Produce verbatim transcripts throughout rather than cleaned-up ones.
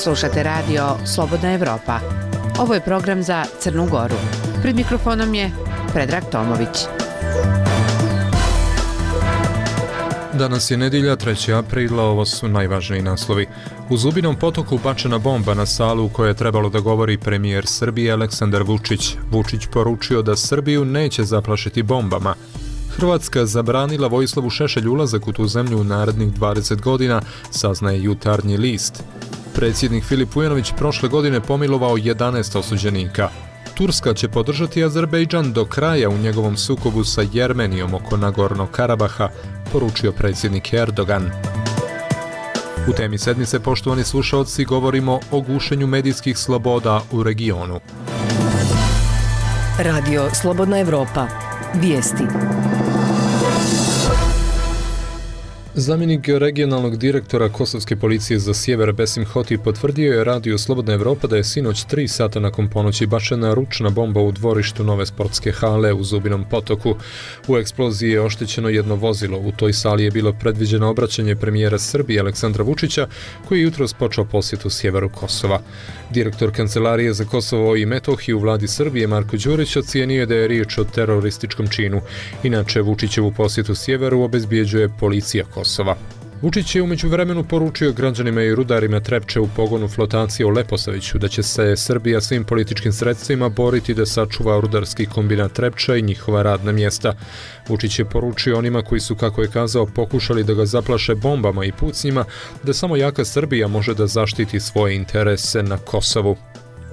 Slušate radio Slobodna Evropa. Ovo je program za Crnu Goru. Pred mikrofonom je Predrag Tomović. Danas je nedjelja, trećeg aprila, ovo su najvažniji naslovi. U Zubinom Potoku bačena bomba na salu u kojoj je trebalo da govori premijer Srbije Aleksandar Vučić. Vučić poručio da Srbiju neće zaplašiti bombama. Hrvatska zabranila Vojislavu Šešelju ulazak u tu zemlju u narednih dvadeset godina, saznaje Jutarnji list. Predsjednik Filip Vujanović prošle godine pomilovao jedanaest osuđenika. Turska će podržati Azerbejdžan do kraja u njegovom sukobu sa Jermenijom oko Nagornog Karabaha, poručio predsjednik Erdogan. U temi sedmice, poštovani slušaoci, govorimo o gušenju medijskih sloboda u regionu. Radio Slobodna Evropa. Vijesti. Zamjenik regionalnog direktora Kosovske policije za sjever Besim Hoti potvrdio je Radio Slobodna Evropa da je sinoć tri sata nakon ponoći bačena ručna bomba u dvorištu nove sportske hale u Zubinom Potoku. U eksploziji je oštećeno jedno vozilo. U toj sali je bilo predviđeno obraćanje premijera Srbije Aleksandra Vučića, koji je jutros počeo posjetu sjeveru Kosova. Direktor Kancelarije za Kosovo i Metohiju u vladi Srbije Marko Đurić ocijenio je da je riječ o terorističkom činu. Inače, Vučićevu posjetu sjeveru obezbjeđuje policija Kosova. Vučić je umeđu vremenu poručio građanima i rudarima Trepče u pogonu flotacije u Leposaviću da će se Srbija svim političkim sredstvima boriti da sačuva rudarski kombinat Trepča i njihova radna mjesta. Vučić je poručio onima koji su, kako je kazao, pokušali da ga zaplaše bombama i pucnjima, da samo jaka Srbija može da zaštiti svoje interese na Kosovu.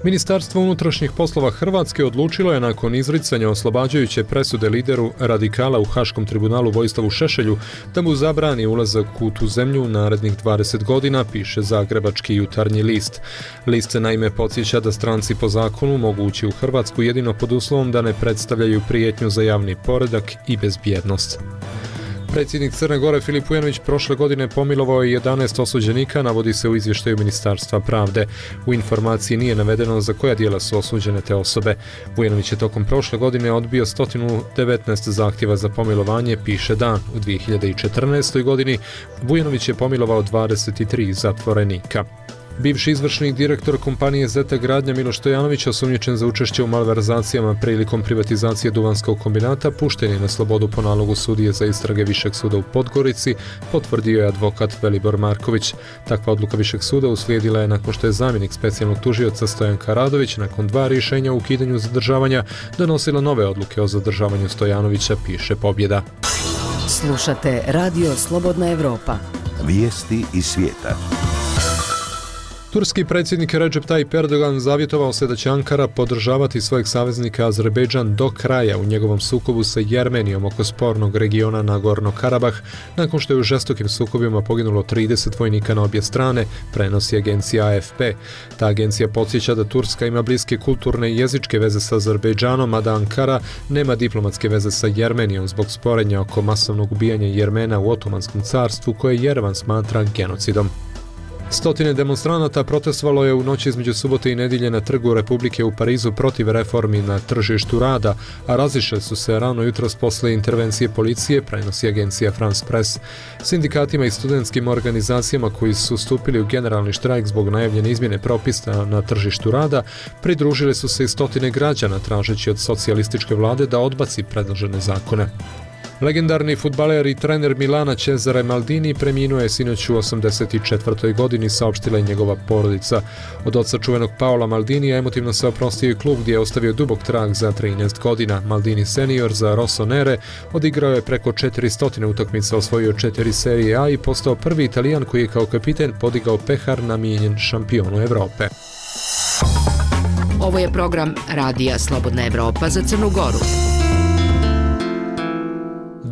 Ministarstvo unutrašnjih poslova Hrvatske odlučilo je nakon izricanja oslobađajuće presude lideru radikala u Haškom tribunalu Vojislavu Šešelju da mu zabrani ulazak u tu zemlju u narednih dvadeset godina, piše zagrebački Jutarnji list. List se naime podsjeća da stranci po zakonu mogu ući u Hrvatsku jedino pod uslovom da ne predstavljaju prijetnju za javni poredak i bezbjednost. Predsjednik Crne Gore Filip Vujanović prošle godine pomilovao je jedanaest osuđenika, navodi se u izvještaju Ministarstva pravde. U informaciji nije navedeno za koja djela su osuđene te osobe. Vujanović je tokom prošle godine odbio sto devetnaest zahtjeva za pomilovanje, piše Dan. U dvije hiljade četrnaestoj godini Vujanović je pomilovao dvadeset tri zatvorenika. Bivši izvršni direktor kompanije Zeta Gradnja Miloš Stojanović, osumnjičen za učešće u malverzacijama prilikom privatizacije Duvanskog kombinata, pušten je na slobodu po nalogu sudije za istrage Višeg suda u Podgorici, potvrdio je advokat Velibor Marković. Takva odluka Višeg suda uslijedila je nakon što je zamjenik specijalnog tužioca Stojanka Radović nakon dva rješenja o ukidanju zadržavanja donosila nove odluke o zadržavanju Stojanovića, piše Pobjeda. Slušate Radio Slobodna Evropa. Vijesti iz svijeta. Turski predsjednik Recep Tayyip Erdogan zavjetovao se da će Ankara podržavati svojeg saveznika Azerbejdžan do kraja u njegovom sukobu sa Jermenijom oko spornog regiona Nagornog Karabah, nakon što je u žestokim sukobima poginulo trideset vojnika na obje strane, prenosi agencija A F P. Ta agencija podsjeća da Turska ima bliske kulturne i jezičke veze sa Azerbejdžanom, a da Ankara nema diplomatske veze sa Jermenijom zbog sporenja oko masovnog ubijanja Jermena u Otomanskom carstvu, koje Jerevan smatra genocidom. Stotine demonstranata protestovalo je u noći između subote i nedjelje na Trgu Republike u Parizu protiv reformi na tržištu rada, a razišle su se rano jutros posle intervencije policije, prenosi agencija France Press. Sindikatima i studentskim organizacijama koji su stupili u generalni štrajk zbog najavljene izmjene propisa na tržištu rada, pridružile su se i stotine građana tražeći od socijalističke vlade da odbaci predložene zakone. Legendarni fudbaler i trener Milana Cesare Maldini preminuo je sinoć u osamdeset četvrtoj godini, saopštila je njegova porodica. Od oca čuvenog Paola Maldinija emotivno se oprostio i klub gdje je ostavio dubok trag za trinaest godina. Maldini senior za Rossonere odigrao je preko četiristo utakmica, osvojio četiri serije A i postao prvi Italijan koji je kao kapiten podigao pehar namijenjen šampionu Evrope. Ovo je program Radija Slobodna Evropa za Crnu Goru.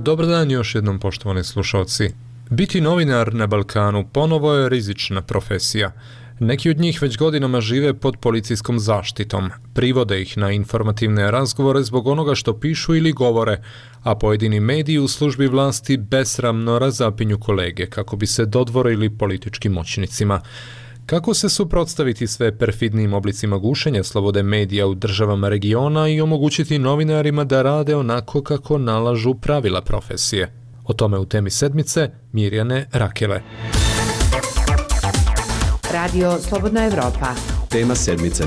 Dobar dan još jednom, poštovani slušalci. Biti novinar na Balkanu ponovo je rizična profesija. Neki od njih već godinama žive pod policijskom zaštitom. Privode ih na informativne razgovore zbog onoga što pišu ili govore, a pojedini mediji u službi vlasti besramno razapinju kolege kako bi se dodvorili političkim moćnicima. Kako se suprotstaviti sve perfidnim oblicima gušenja slobode medija u državama regiona i omogućiti novinarima da rade onako kako nalažu pravila profesije? O tome u temi sedmice Mirjane Rakele. Radio Slobodna Evropa. Tema sedmice.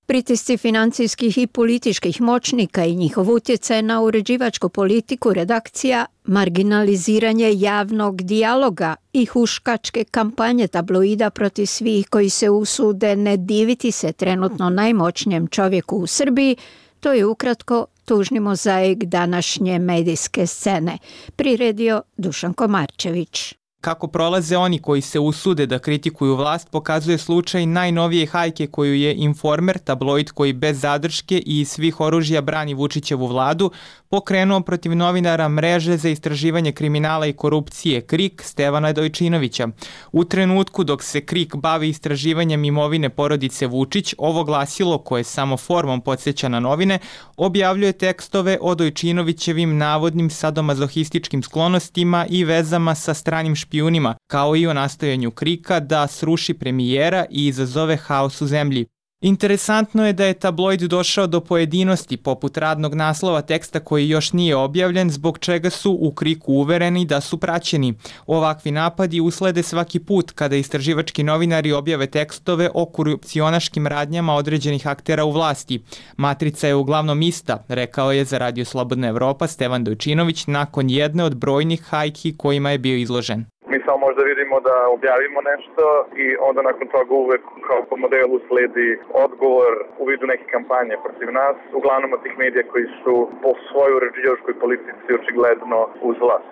Pritisci financijskih i političkih moćnika i njihov utjecaj na uređivačku politiku redakcija, marginaliziranje javnog dijaloga i huškačke kampanje tabloida protiv svih koji se usude ne diviti se trenutno najmoćnijem čovjeku u Srbiji, to je ukratko tužni mozaik današnje medijske scene, priredio Dušan Komarčević. Kako prolaze oni koji se usude da kritikuju vlast pokazuje slučaj najnovije hajke koju je Informer, tabloid koji bez zadrške i iz svih oružja brani Vučićevu vladu, pokrenuo protiv novinara Mreže za istraživanje kriminala i korupcije KRIK Stevana Dojčinovića. U trenutku dok se KRIK bavi istraživanjem imovine porodice Vučić, ovo glasilo, koje samo formom podsjeća na novine, objavljuje tekstove o Dojčinovićevim navodnim sadomazohističkim sklonostima i vezama sa stranim špijunima, kao i o nastojanju KRIK-a da sruši premijera i izazove haos u zemlji. Interesantno je da je tabloid došao do pojedinosti poput radnog naslova teksta koji još nije objavljen, zbog čega su u KRIK-u uvereni da su praćeni. Ovakvi napadi uslede svaki put kada istraživački novinari objave tekstove o korupcionaškim radnjama određenih aktera u vlasti. Matrica je uglavnom ista, rekao je za Radio Slobodna Evropa Stevan Dojčinović nakon jedne od brojnih hajki kojima je bio izložen. Mi samo možda vidimo da objavimo nešto i onda nakon toga uvek kao po modelu sledi odgovor u vidu neke kampanje protiv nas, uglavnom od tih medija koji su po svojoj uređivačkoj politici očigledno uz vlast.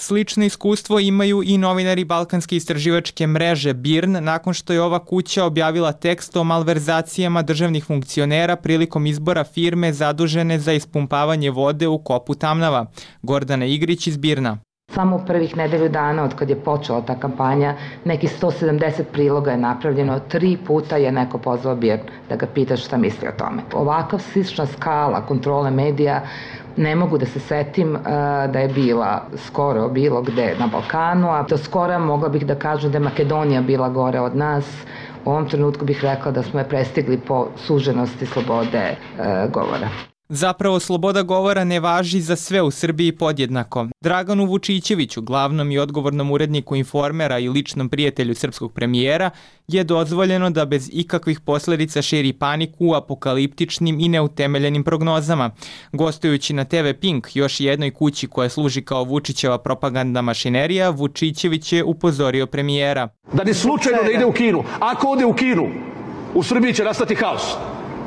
Slično iskustvo imaju i novinari Balkanske istraživačke mreže B I R N nakon što je ova kuća objavila tekst o malverzacijama državnih funkcionera prilikom izbora firme zadužene za ispumpavanje vode u kopu Tamnava. Gordana Igrić iz B I R N-a. Samo u prvih nedelju dana od kad je počela ta kampanja, neki sto sedamdeset priloga je napravljeno, tri puta je neko pozvao B I R N da ga pita šta misli o tome. Ovakav slična skala kontrole medija ne mogu da se setim uh, da je bila skoro bilo gde na Balkanu, a do skora mogla bih da kažem da je Makedonija bila gore od nas. U ovom trenutku bih rekla da smo je prestigli po suženosti slobode uh, govora. Zapravo, sloboda govora ne važi za sve u Srbiji podjednako. Draganu Vučićeviću, glavnom i odgovornom uredniku Informera i ličnom prijatelju srpskog premijera, je dozvoljeno da bez ikakvih posljedica širi paniku u apokaliptičnim i neutemeljenim prognozama. Gostujući na T V Pink, još jednoj kući koja služi kao Vučićeva propagandna mašinerija, Vučićević je upozorio premijera. Da ni slučajno ne ide u Kinu. Ako ode u Kinu, u Srbiji će nastati haos.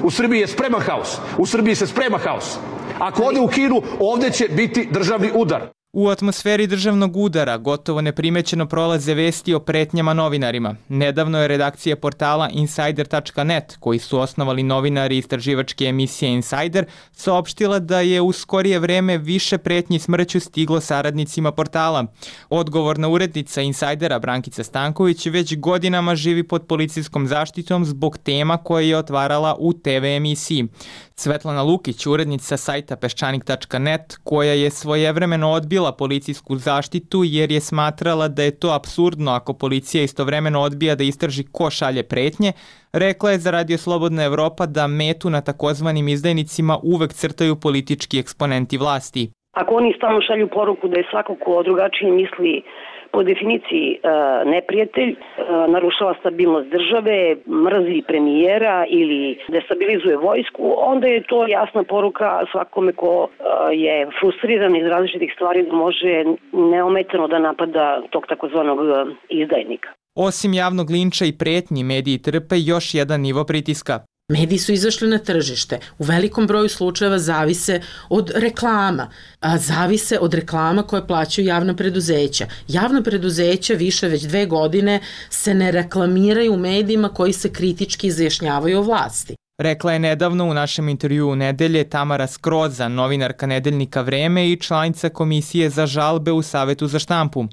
U Srbiji je spreman haos. U Srbiji se sprema haos. Ako ode u Kinu, ovdje će biti državni udar. U atmosferi državnog udara gotovo neprimećeno prolaze vesti o pretnjama novinarima. Nedavno je redakcija portala Insider tačka net, koji su osnovali novinari istraživačke emisije Insider, saopštila da je u skorije vreme više pretnji smrću stiglo saradnicima portala. Odgovorna urednica Insidera Brankica Stanković već godinama živi pod policijskom zaštitom zbog tema koje je otvarala u T V emisiji. Svetlana Lukić, urednica sajta peščanik tačka net, koja je svojevremeno odbila policijsku zaštitu jer je smatrala da je to apsurdno ako policija istovremeno odbija da istraži ko šalje pretnje, rekla je za Radio Slobodna Evropa da metu na takozvanim izdajnicima uvek crtaju politički eksponenti vlasti. Ako oni stalno šalju poruku da je svako ko drugačije misli po definiciji e, neprijatelj, e, narušava stabilnost države, mrzi premijera ili destabilizuje vojsku, onda je to jasna poruka svakome ko e, je frustriran iz različitih stvari da može neometano da napada tog takozvanog izdajnika. Osim javnog linča i pretnji, mediji trpe još jedan nivo pritiska. Mediji su izašli na tržište. U velikom broju slučajeva zavise od reklama. A zavise od reklama koje plaćaju javna preduzeća. Javna preduzeća više već dve godine se ne reklamiraju u medijima koji se kritički izjašnjavaju o vlasti. Rekla je nedavno u našem intervjuu u nedelje Tamara Skroza, novinarka nedeljnika Vreme i članica Komisije za žalbe u Savetu za štampu.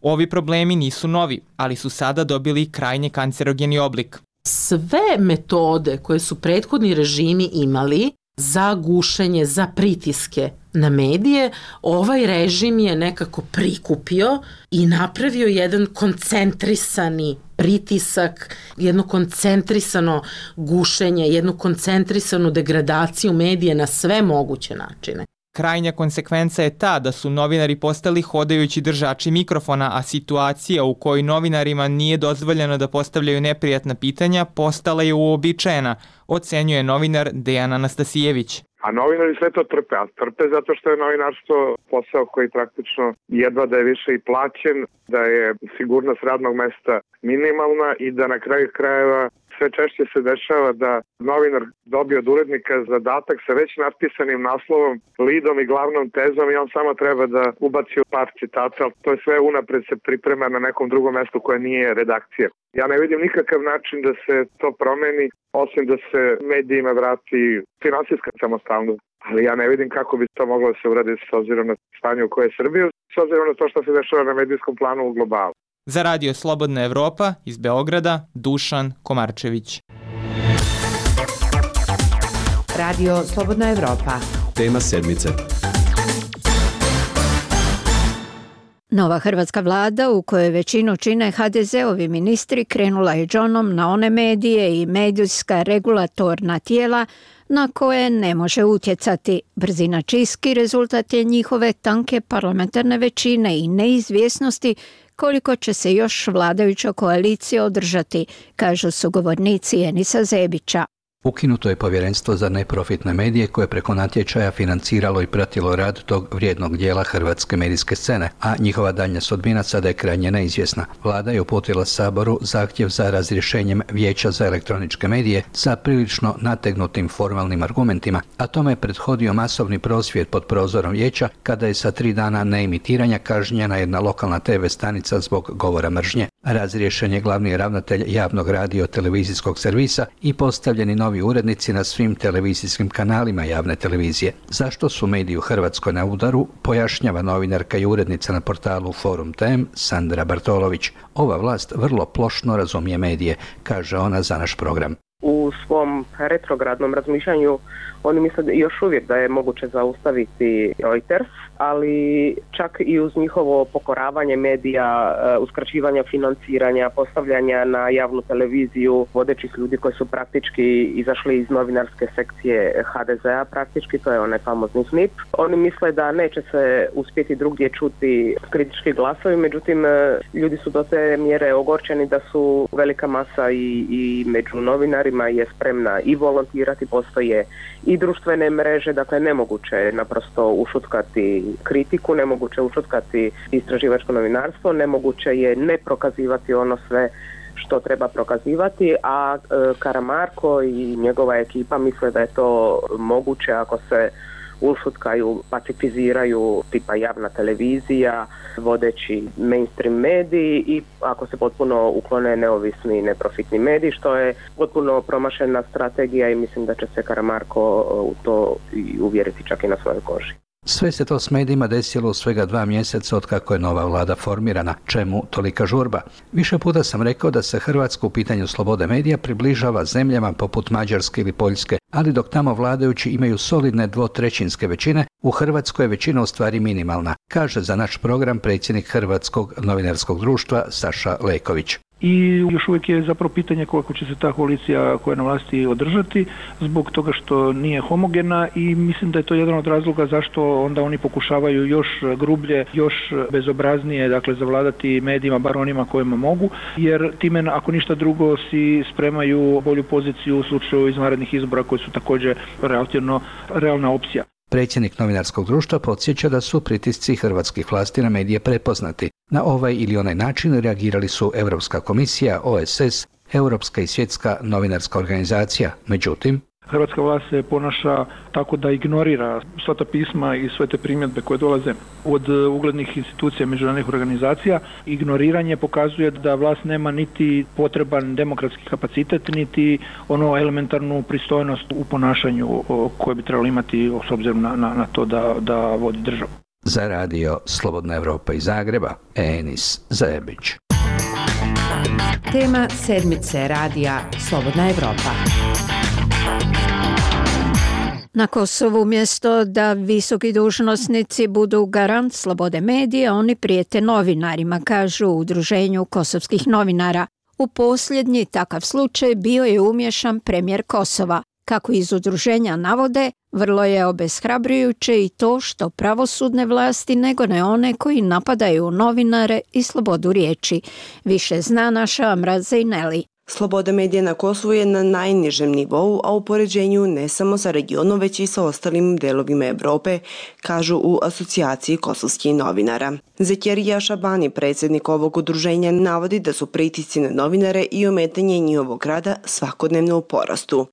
Ovi problemi nisu novi, ali su sada dobili krajnje kancerogeni oblik. Sve metode koje su prethodni režimi imali za gušenje, za pritiske na medije, ovaj režim je nekako prikupio i napravio jedan koncentrisani pritisak, jedno koncentrisano gušenje, jednu koncentrisanu degradaciju medije na sve moguće načine. Krajnja konsekvenca je ta da su novinari postali hodajući držači mikrofona, a situacija u kojoj novinarima nije dozvoljeno da postavljaju neprijatna pitanja postala je uobičajena, ocenjuje novinar Dejan Anastasijević. A novinari sve to trpe, a trpe zato što je novinarstvo posao koji praktično jedva da je više i plaćen, da je sigurnost radnog mesta minimalna i da na kraju krajeva sve češće se dešava da novinar dobije od urednika zadatak sa već napisanim naslovom, lidom i glavnom tezom i on samo treba da ubaci u par citata, ali to je sve unapred se priprema na nekom drugom mestu koje nije redakcija. Ja ne vidim nikakav način da se to promeni, osim da se medijima vrati finansijska samostalnost. Ali ja ne vidim kako bi to moglo da se uradi s obzirom na stanje u koje je Srbija, s obzirom na to što se dešava na medijskom planu u globalu. Za Radio Slobodna Evropa iz Beograda, Dušan Komarčević. Radio Slobodna Evropa. Tema sedmice. Nova hrvatska vlada, u kojoj većinu čine ha de ze-ovi ministri, krenula je džonom na one medije i medijska regulatorna tijela na koje ne može utjecati. Brzina čistki rezultat je njihove tanke parlamentarne većine i neizvjesnosti koliko će se još vladajuća koalicija održati, kažu sugovornici Enisa Zebića. Ukinuto je povjerenstvo za neprofitne medije koje preko natječaja financiralo i pratilo rad tog vrijednog dijela hrvatske medijske scene, a njihova daljnja sudbina sada je krajnje neizvjesna. Vlada je uputila Saboru zahtjev za razrješenjem Vijeća za elektroničke medije sa prilično nategnutim formalnim argumentima, a tome je prethodio masovni prosvjed pod prozorom vijeća kada je sa tri dana neimitiranja kažnjena jedna lokalna te ve stanica zbog govora mržnje. Razriješen je glavni ravnatelj javnog radio televizijskog servisa i postavljeni novi urednici na svim televizijskim kanalima javne televizije. Zašto su mediji u Hrvatskoj na udaru, pojašnjava novinarka i urednica na portalu Forum Tem Sandra Bartolović. Ova vlast vrlo plošno razumije medije, kaže ona za naš program. U svom retrogradnom razmišljanju oni misle još uvijek da je moguće zaustaviti Reuters, ali čak i uz njihovo pokoravanje medija, uskraćivanja financiranja, postavljanja na javnu televiziju vodećih ljudi koji su praktički izašli iz novinarske sekcije ha de ze-a, praktički, to je onaj famozni snip. Oni misle da neće se uspjeti drugdje čuti kritički glasovi, međutim ljudi su do te mjere ogorčeni da su velika masa i, i među novinarima je spremna i volontirati, postoje i društvene mreže, dakle nemoguće je naprosto ušutkati kritiku, nemoguće je ušutkati istraživačko novinarstvo, nemoguće je ne prokazivati ono sve što treba prokazivati, a e, Karamarko i njegova ekipa misle da je to moguće ako se ušutkaju, pacifiziraju tipa javna televizija, vodeći mainstream mediji i ako se potpuno uklone neovisni i neprofitni mediji, što je potpuno promašena strategija i mislim da će se Karamarko u to i uvjeriti čak i na svojoj koži. Sve se to s medijima desilo u svega dva mjeseca od kako je nova vlada formirana. Čemu tolika žurba? Više puta sam rekao da se Hrvatska u pitanju slobode medija približava zemljama poput Mađarske ili Poljske, ali dok tamo vladajući imaju solidne dvotrećinske većine, u Hrvatskoj je većina u stvari minimalna, kaže za naš program predsjednik Hrvatskog novinarskog društva Saša Leković. I još uvijek je zapravo pitanje koliko će se ta koalicija koja je na vlasti održati zbog toga što nije homogena i mislim da je to jedan od razloga zašto onda oni pokušavaju još grublje, još bezobraznije, dakle zavladati medijima, bar onima kojima mogu, jer time ako ništa drugo si spremaju bolju poziciju u slučaju izvanrednih izbora koji su također relativno realna opcija. Predsjednik novinarskog društva podsjeća da su pritisci hrvatskih vlasti na medije prepoznati. Na ovaj ili onaj način reagirali su Europska komisija, o es es, Europska i svjetska novinarska organizacija. Međutim, hrvatska vlast se ponaša tako da ignorira sva ta pisma i sve te primjedbe koje dolaze od uglednih institucija, međunarodnih organizacija. Ignoriranje pokazuje da vlast nema niti potreban demokratski kapacitet, niti ono elementarnu pristojnost u ponašanju koje bi trebalo imati s obzirom na, na, na to da, da vodi državu. Za radio Slobodna Evropa iz Zagreba, Enis Zebić. Tema sedmice radija Slobodna Evropa. Na Kosovu umjesto da visoki dužnosnici budu garant slobode medija, oni prijete novinarima, kažu u Udruženju kosovskih novinara. U posljednji takav slučaj bio je umješan premijer Kosova. Kako iz udruženja navode, vrlo je obeshrabrujuće i to što pravosudne vlasti ne gone one koji napadaju novinare i slobodu riječi. Više zna naša Amra Zejneli. Sloboda medija na Kosovu je na najnižem nivou, a u poređenju ne samo sa regionom, već i sa ostalim delovima Evrope, kažu u asocijaciji kosovskih novinara. Zekjerija Šabani, predsjednik ovog udruženja, navodi da su pritisci na novinare i ometanje njihovog rada svakodnevno u porastu.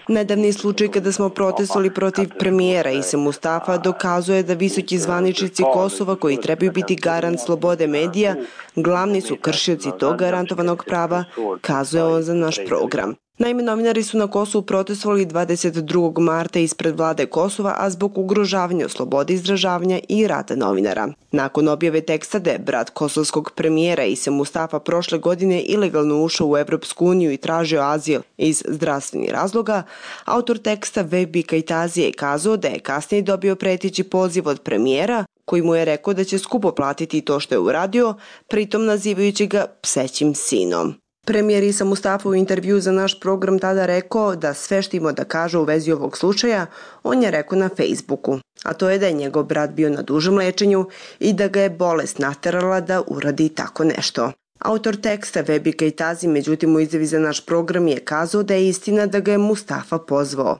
Nedavni slučaj kada smo protestovali protiv premijera Ise Mustafa dokazuje da visoki zvaničnici Kosova koji trebaju biti garant slobode medija, glavni su kršioci tog garantovanog prava, kazuje on za naš program. Naime, novinari su na Kosovu protestovali dvadeset drugog marta ispred vlade Kosova, a zbog ugrožavanja slobode izražavanja i rada novinara. Nakon objave teksta da je brat kosovskog premijera Ise Mustafa prošle godine ilegalno ušao u Evropsku uniju i tražio azil iz zdravstvenih razloga, autor teksta Vebi Kajtazi je kazao da je kasnije dobio preteći poziv od premijera koji mu je rekao da će skupo platiti to što je uradio, pritom nazivajući ga psećim sinom. Premijer Isa Mustafa u intervju za naš program tada rekao da sve što ima da kaže u vezi ovog slučaja, on je rekao na Facebooku, a to je da je njegov brat bio na dužem lečenju i da ga je bolest naterala da uradi tako nešto. Autor teksta Vebi Kajtazi, međutim u izjavi za naš program je kazao da je istina da ga je Mustafa pozvao.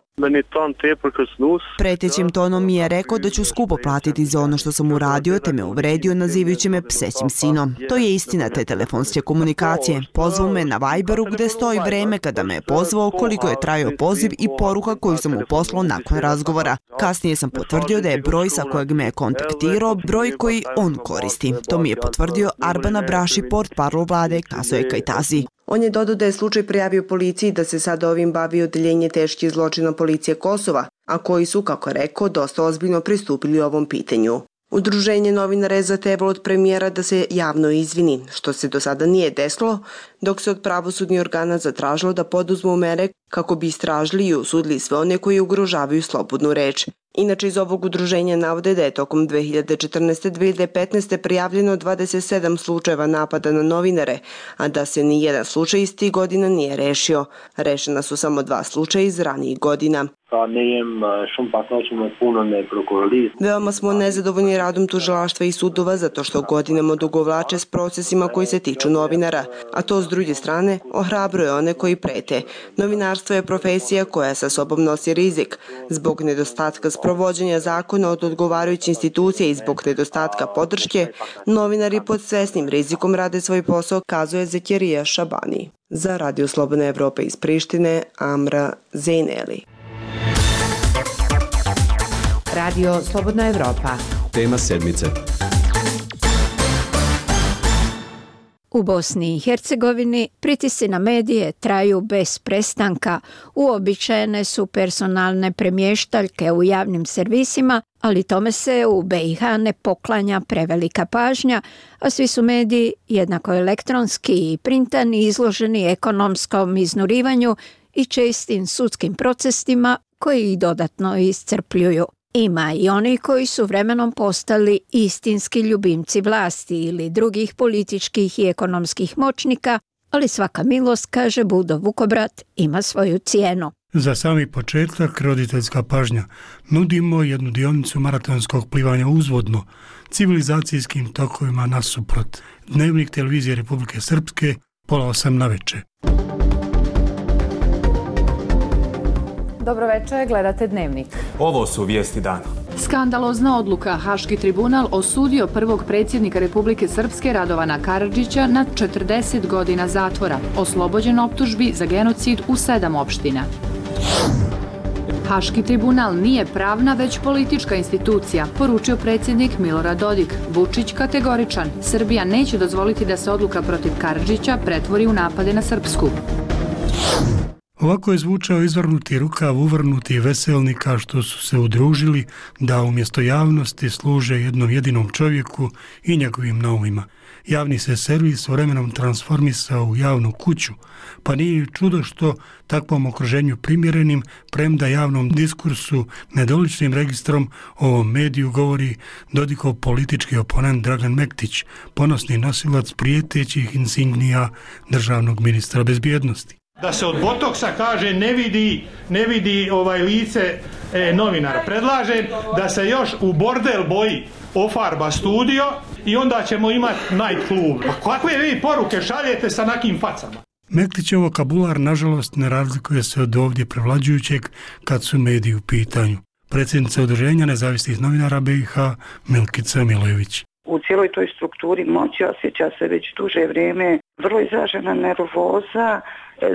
Pretećim tonom mi je rekao da ću skupo platiti za ono što sam uradio, te me uvredio nazivajući me psećim sinom. To je istina te telefonske komunikacije. Pozvao me na Viberu gde stoji vreme kada me je pozvao, koliko je trajao poziv i poruka koju sam mu poslao nakon razgovora. Kasnije sam potvrdio da je broj sa kojeg me je kontaktirao broj koji on koristi. To mi je potvrdio Arbana Braši, portparol vlade, kazao je Kajtazi. On je dodao da je slučaj prijavio policiji, da se sad ovim bavi odeljenje teških zločina policije Kosova, a koji su, kako je rekao, dosta ozbiljno pristupili ovom pitanju. Udruženje novinara je zahtevalo od premijera da se javno izvini, što se do sada nije desilo, dok se od pravosudnih organa zatražilo da poduzmu mere kako bi istražili i osudili sve one koji ugrožavaju slobodnu reč. Inače, iz ovog udruženja navode da je tokom dve hiljade četrnaeste do dve hiljade petnaeste prijavljeno dvadeset sedam slučajeva napada na novinare, a da se ni jedan slučaj iz tih godina nije rešio. Rešena su samo dva slučaja iz ranijih godina. Veoma smo nezadovoljni radom tužilaštva i sudova zato što godinama odugovlače s procesima koji se tiču novinara, a to s druge strane ohrabruje one koji prete. Novinarstvo je profesija koja sa sobom nosi rizik. Zbog nedostatka sprovođenja zakona od odgovarajuće institucije i zbog nedostatka podrške, novinari pod svesnim rizikom rade svoj posao, kazuje Zekjerija Šabani. Za Radio Slobodna Evropa iz Prištine, Amra Zejneli. Radio Slobodna Evropa. Tema sedmice. U Bosni i Hercegovini pritisci na medije traju bez prestanka. Uobičajene su personalne premještaljke u javnim servisima, ali tome se u be i ha ne poklanja prevelika pažnja, a svi su mediji, jednako elektronski i printani, izloženi ekonomskom iznurivanju i čestim sudskim procesima koji ih dodatno iscrpljuju. Ima i oni koji su vremenom postali istinski ljubimci vlasti ili drugih političkih i ekonomskih moćnika, ali svaka milost, kaže Budo Vukobrat, ima svoju cijenu. Za sami početak roditeljska pažnja. Nudimo jednu dionicu maratonskog plivanja uzvodno, civilizacijskim tokovima nasuprot. Dnevnik televizije Republike Srpske, pola osam na veče. Dobro večer, gledate Dnevnik. Ovo su vijesti dana. Skandalozna odluka. Haški tribunal osudio prvog predsjednika Republike Srpske Radovana Karadžića na četrdeset godina zatvora, oslobođen optužbi za genocid u sedam opština. Haški tribunal nije pravna, već politička institucija, poručio predsjednik Milorad Dodik. Vučić kategoričan. Srbija neće dozvoliti da se odluka protiv Karadžića pretvori u napade na Srpsku. Ovako je zvučao izvrnuti rukav uvrnuti veselnika što su se udružili da umjesto javnosti služe jednom jedinom čovjeku i njegovim naumima. Javni se servis vremenom transformisao u javnu kuću, pa nije čudo što takvom okruženju primjerenim, premda javnom diskursu nedoličnim registrom ovom mediju govori Dodikov politički oponent Dragan Mektić, ponosni nosilac prijetećih insignija državnog ministra bezbjednosti. Da se od botoksa kaže ne vidi, ne vidi ovaj lice e, novinara. Predlažem da se još u bordel boji ofarba studio i onda ćemo imati night klub. Pa kakve vi poruke šaljete sa nakim facama? Meklićev vokabular, nažalost, ne razlikuje se od ovdje prevlađujućeg kad su mediji u pitanju. Predsjednica Udruženja nezavisnih novinara B i H Milkica Milojević. U cijeloj toj strukturi moći osjeća se već duže vrijeme vrlo izražena nervoza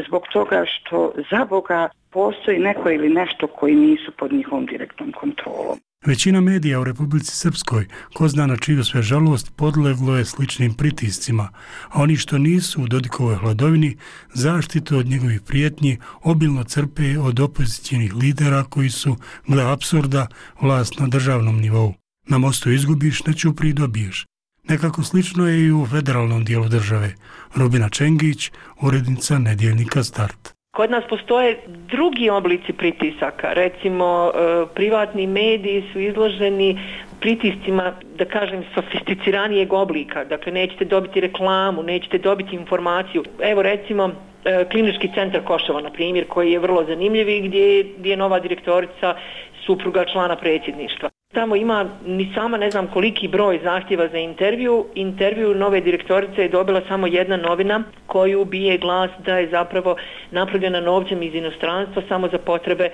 zbog toga što za Boga postoji neko ili nešto koji nisu pod njihovom direktnom kontrolom. Većina medija u Republici Srpskoj, ko zna na čiju sve žalost, podleglo je sličnim pritiscima, a oni što nisu u Dodikovoj hladovini zaštitu od njegovih prijetnji obilno crpe od opozicijnih lidera koji su, gle apsurda, vlast na državnom nivou. Na mostu izgubiš, na Ćupriji dobiješ. Nekako slično je i u federalnom dijelu države. Rubina Čengić, urednica nedjeljnika Start. Kod nas postoje drugi oblici pritisaka, recimo privatni mediji su izloženi pritiscima, da kažem, sofisticiranijeg oblika, dakle nećete dobiti reklamu, nećete dobiti informaciju. Evo recimo Klinički centar Koševo, na primjer, koji je vrlo zanimljiv i gdje, gdje je nova direktorica supruga člana predsjedništva. Tamo ima ni sama ne znam koliki broj zahtjeva za intervju. Intervju nove direktorice je dobila samo jedna novina koju bije glas da je zapravo napravljena novcem iz inostranstva samo za potrebe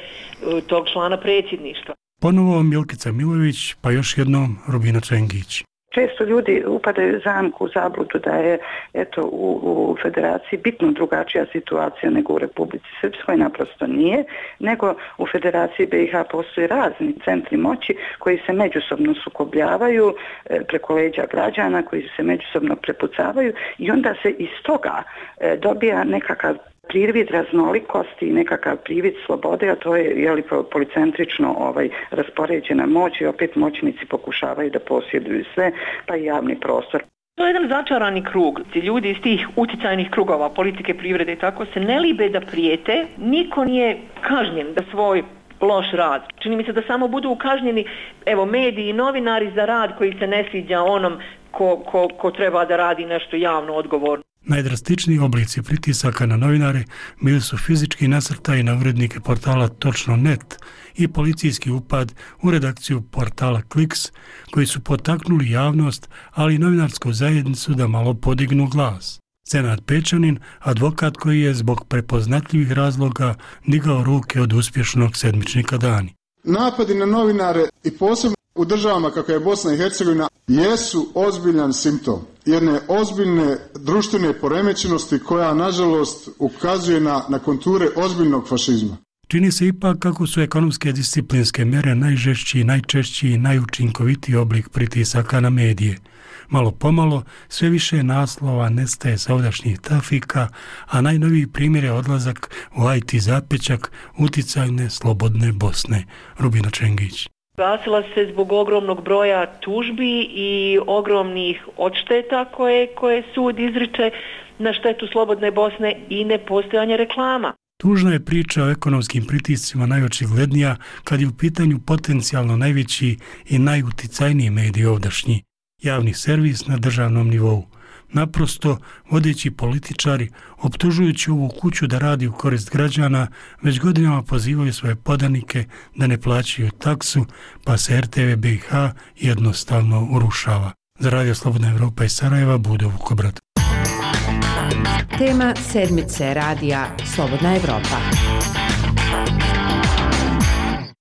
tog člana predsjedništva. Ponovo Milkica Milojević, pa još jednom Rubina Čengić. Često ljudi upadaju zamku u zabludu da je eto, u, u federaciji bitno drugačija situacija nego u Republici Srpskoj, naprosto nije, nego u federaciji B i H postoje razni centri moći koji se međusobno sukobljavaju e, preko leđa građana, koji se međusobno prepucavaju i onda se iz toga e, dobija nekakav privid raznolikosti i nekakav privid slobode, a to je jeli, policentrično ovaj, raspoređena moć i opet moćnici pokušavaju da posjeduju sve, pa i javni prostor. To je jedan začarani krug. Ti ljudi iz tih utjecajnih krugova, politike, privrede i tako se ne libe da prijete, niko nije kažnjen da svoj loš rad. Čini mi se da samo budu kažnjeni evo, mediji i novinari za rad koji se ne sviđa onom ko, ko, ko treba da radi nešto javno odgovorno. Najdrastičniji oblici pritisaka na novinare bili su fizički nasrtaji na urednike portala Točno net i policijski upad u redakciju portala Kliks, koji su potaknuli javnost, ali i novinarsku zajednicu da malo podignu glas. Senad Pečanin, advokat koji je zbog prepoznatljivih razloga digao ruke od uspješnog sedmičnika Dani. Napadi na novinare i posebno u državama kako je Bosna i Hercegovina jesu ozbiljan simptom jedne ozbiljne društvene poremećenosti koja nažalost ukazuje na, na konture ozbiljnog fašizma. Čini se ipak kako su ekonomske disciplinske mjere najžešći, najčešći i najučinkovitiji oblik pritisaka na medije. Malo pomalo sve više naslova nestaje sa ovdašnjih trafika, a najnoviji primjer je odlazak u I T zapećak uticajne slobodne Bosne. Rubina Čengić. Gasila se zbog ogromnog broja tužbi i ogromnih odšteta koje, koje sud izriče na štetu slobodne Bosne i nepostojanje reklama. Tužna je priča o ekonomskim pritiscima najočiglednija kad je u pitanju potencijalno najveći i najuticajniji medij ovdašnji, javni servis na državnom nivou. Naprosto, vodeći političari, optužujući ovu kuću da radi u korist građana, već godinama pozivaju svoje podanike da ne plaćaju taksu, pa se R T V B i H jednostavno urušava. Za Radio Slobodna Evropa iz Sarajeva, Budo Vukobrad. Tema sedmice radija Slobodna Evropa.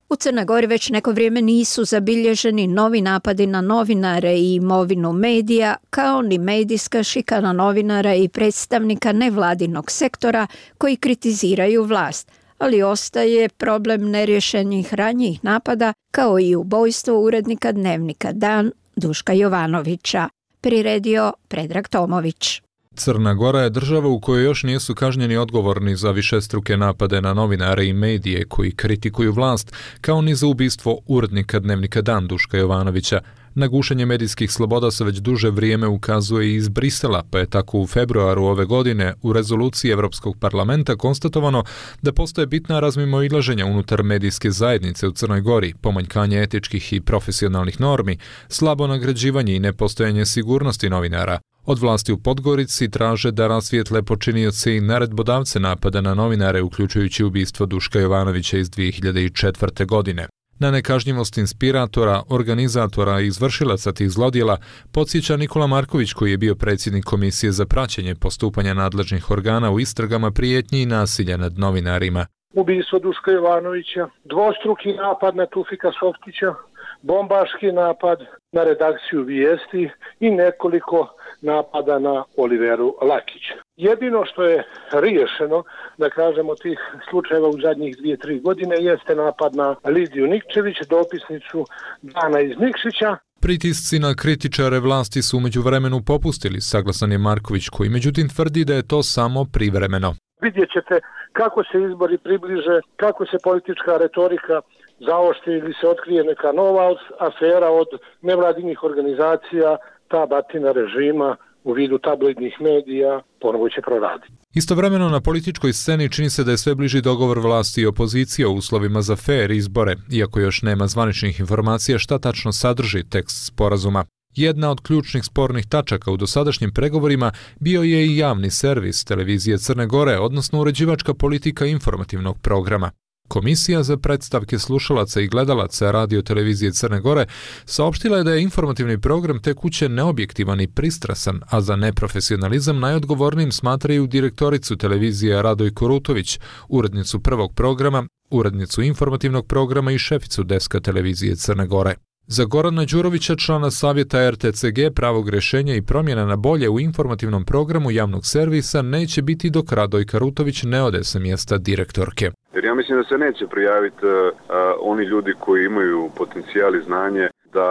U Crnoj Gori već neko vrijeme nisu zabilježeni novi napadi na novinare i imovinu medija, kao ni medijska šikana novinara i predstavnika nevladinog sektora koji kritiziraju vlast, ali ostaje problem nerješenih ranjih napada, kao i ubojstvo urednika dnevnika Dan Duška Jovanovića. Priredio Predrag Tomović. Crna Gora je država u kojoj još nisu kažnjeni odgovorni za višestruke napade na novinare i medije koji kritikuju vlast, kao ni za ubistvo urednika dnevnika Dan Duška Jovanovića. Na gušenje medijskih sloboda se već duže vrijeme ukazuje i iz Brisela, pa je tako u februaru ove godine u rezoluciji Europskog parlamenta konstatovano da postoje bitna razmimoilaženja unutar medijske zajednice u Crnoj Gori, pomanjkanje etičkih i profesionalnih normi, slabo nagrađivanje i nepostojanje sigurnosti novinara. Od vlasti u Podgorici traže da rasvijetle počinioce i naredbodavce napada na novinare, uključujući ubistvo Duška Jovanovića iz dvije hiljade četvrte. godine. Na nekažnjivost inspiratora, organizatora i izvršilaca tih zlodjela podsjeća Nikola Marković, koji je bio predsjednik Komisije za praćenje postupanja nadležnih organa u istragama prijetnji i nasilja nad novinarima. Ubistvo Duška Jovanovića, dvostruki napad na Tufika Softića, bombaški napad na redakciju Vijesti i nekoliko napada na Oliveru Lakića. Jedino što je riješeno, da kažemo, tih slučajeva u zadnjih dvije, tri godine jeste napad na Lidiju Nikčević, dopisnicu Dana iz Nikšića. Pritisci na kritičare vlasti su umeđu vremenu popustili, saglasan je Marković, koji međutim tvrdi da je to samo privremeno. Vidjet ćete kako se izbori približe, kako se politička retorika zaoštri ili se otkrije neka nova afera od nevladinih organizacija, ta batina režima u vidu tabloidnih medija ponovo će proraditi. Istovremeno na političkoj sceni čini se da je sve bliži dogovor vlasti i opozicije o uslovima za fer izbore, iako još nema zvaničnih informacija šta tačno sadrži tekst sporazuma. Jedna od ključnih spornih tačaka u dosadašnjim pregovorima bio je i javni servis televizije Crne Gore, odnosno uređivačka politika informativnog programa. Komisija za predstavke slušalaca i gledalaca radio televizije Crne Gore saopštila je da je informativni program te kuće neobjektivan i pristrasan, a za neprofesionalizam najodgovornijim smatraju direktoricu televizije Radojku Rutović, urednicu prvog programa, urednicu informativnog programa i šeficu deska televizije Crne Gore. Za Gorana Đurovića, člana savjeta er te ce ge, pravog rješenja i promjena na bolje u informativnom programu javnog servisa neće biti dok Radojka Rutović ne ode sa mjesta direktorke. Jer ja mislim da se neće prijaviti uh, oni ljudi koji imaju potencijal i znanje da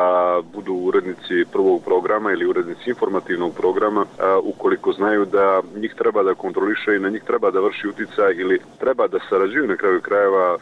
budu urednici prvog programa ili urednici informativnog programa, uh, ukoliko znaju da njih treba da kontroliše i na njih treba da vrši utjecaj ili treba da sarađuju na kraju krajeva uh,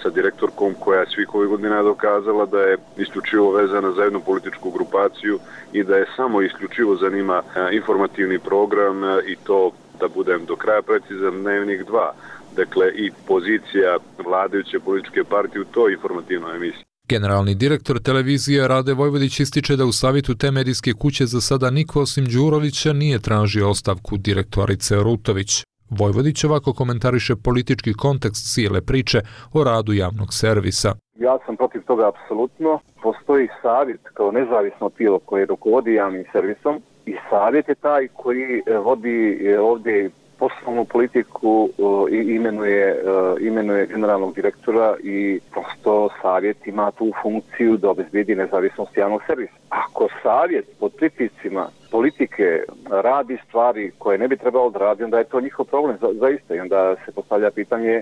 sa direktorkom koja je svih ovih godina dokazala da je isključivo vezana za jednu političku grupaciju i da je samo isključivo zanima uh, informativni program uh, i to, da budem do kraja precizan, Dnevnik dva. Dakle, i pozicija vladajuće političke partije u toj informativnoj emisiji. Generalni direktor televizije Rade Vojvodić ističe da u savjetu te medijske kuće za sada niko osim Đurovića nije tražio ostavku direktorice Rutović. Vojvodić ovako komentariše politički kontekst cijele priče o radu javnog servisa. Ja sam protiv toga apsolutno. Postoji savjet kao nezavisno tijelo koje rukovodi javnim servisom i savjet je taj koji vodi ovdje poslovnu politiku i imenuje, imenuje generalnog direktora i prosto savjet ima tu funkciju da obezbedi nezavisnost javnog servisa. Ako savjet pod pritiscima politike radi stvari koje ne bi trebalo da radi, onda je to njihov problem za, zaista i onda se postavlja pitanje,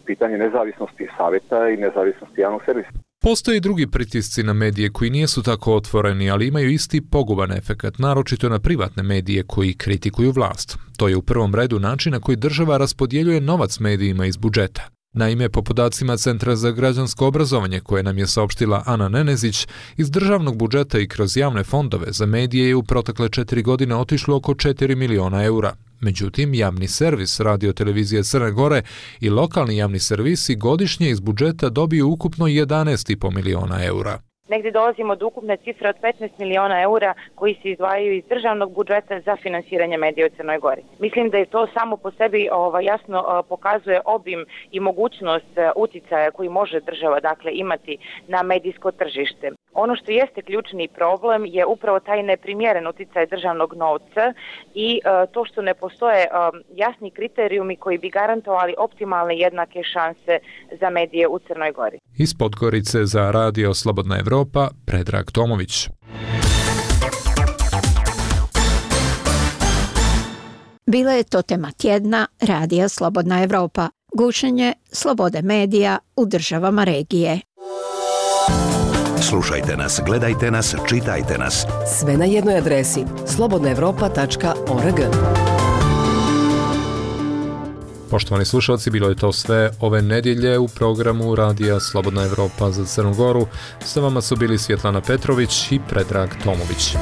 pitanje nezavisnosti savjeta i nezavisnosti javnog servisa. Postoje i drugi pritisci na medije koji nisu tako otvoreni, ali imaju isti poguban efekat, naročito na privatne medije koji kritikuju vlast. To je u prvom redu način na koji država raspodjeljuje novac medijima iz budžeta. Naime, po podacima Centra za građansko obrazovanje koje nam je saopštila Ana Nenezić, iz državnog budžeta i kroz javne fondove za medije je u protekle četiri godine otišlo oko četiri miliona eura. Međutim, javni servis radio televizije Crne Gore i lokalni javni servisi godišnje iz budžeta dobiju ukupno jedanaest zarez pet miliona eura. Negdje dolazimo do ukupne cifre od petnaest miliona eura koji se izdvajaju iz državnog budžeta za finansiranje medija u Crnoj Gori. Mislim da je to samo po sebi ovaj, jasno pokazuje obim i mogućnost uticaja koji može država dakle imati na medijsko tržište. Ono što jeste ključni problem je upravo taj neprimjeren uticaj državnog novca i uh, to što ne postoje uh, jasni kriterijumi koji bi garantovali optimalne jednake šanse za medije u Crnoj Gori. Iz Podgorice za Radio Slobodna Evropa, Predrag Tomović. Bila je to tema tjedna Radija Slobodna Evropa, gušenje slobode medija u državama regije. Slušajte nas, gledajte nas, čitajte nas. Sve na jednoj adresi slobodna evropa tačka org. Poštovani slušalci, bilo je to sve ove nedjelje u programu Radija Slobodna Evropa za Crnu Goru. Sa vama su bili Svjetlana Petrović i Predrag Tomović.